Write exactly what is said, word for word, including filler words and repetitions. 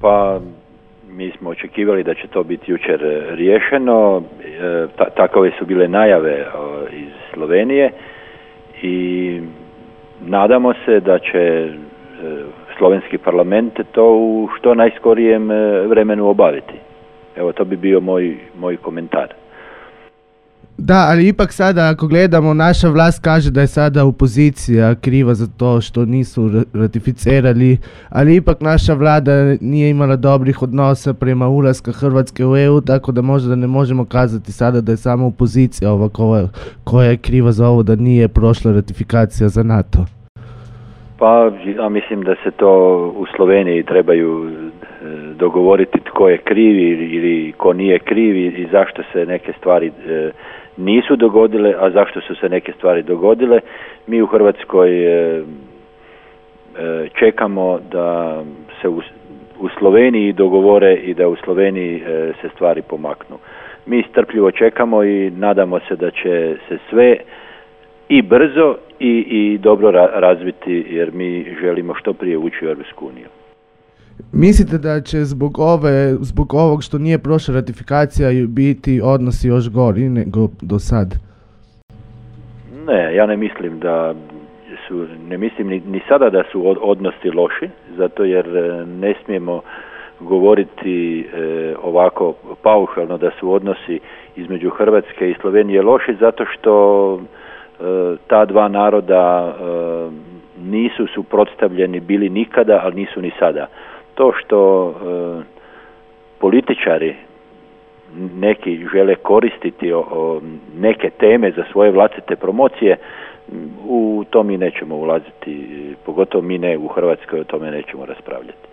Pa mi smo očekivali da će to biti jučer riješeno, e, ta, takove su bile najave o, iz Slovenije i nadamo se da će e, slovenski parlament to u što najskorijem vremenu obaviti. Evo, to bi bio moj, moj komentar. Da, ali ipak sada ako gledamo, naša vlast kaže da je sada opozicija kriva za to što nisu ratificirali, ali ipak naša vlada nije imala dobrih odnosa prema ulaska Hrvatske u E U, tako da možda ne možemo kazati sada da je samo opozicija ova koja, koja je kriva za ovo da nije prošla ratifikacija za NATO. Pa ja mislim da se to u Sloveniji trebaju dogovoriti tko je krivi ili ko nije krivi i zašto se neke stvari e, nisu dogodile, a zašto su se neke stvari dogodile. Mi u Hrvatskoj e, e, čekamo da se u, u Sloveniji dogovore i da u Sloveniji e, se stvari pomaknu. Mi strpljivo čekamo i nadamo se da će se sve i brzo i, i dobro ra- razviti, jer mi želimo što prije ući u Europsku uniju. Mislite da će zbog ove, zbog ovog što nije prošla ratifikacija biti odnosi još gori nego do sad? Ne, ja ne mislim da su, ne mislim ni, ni sada da su odnosi loši, zato jer ne smijemo govoriti e, ovako paušalno da su odnosi između Hrvatske i Slovenije loši, zato što e, ta dva naroda e, nisu suprotstavljeni bili nikada, ali nisu ni sada. To što e, političari neki žele koristiti o, o neke teme za svoje vlastite promocije, u to mi nećemo ulaziti, pogotovo mi ne u Hrvatskoj, o tome nećemo raspravljati.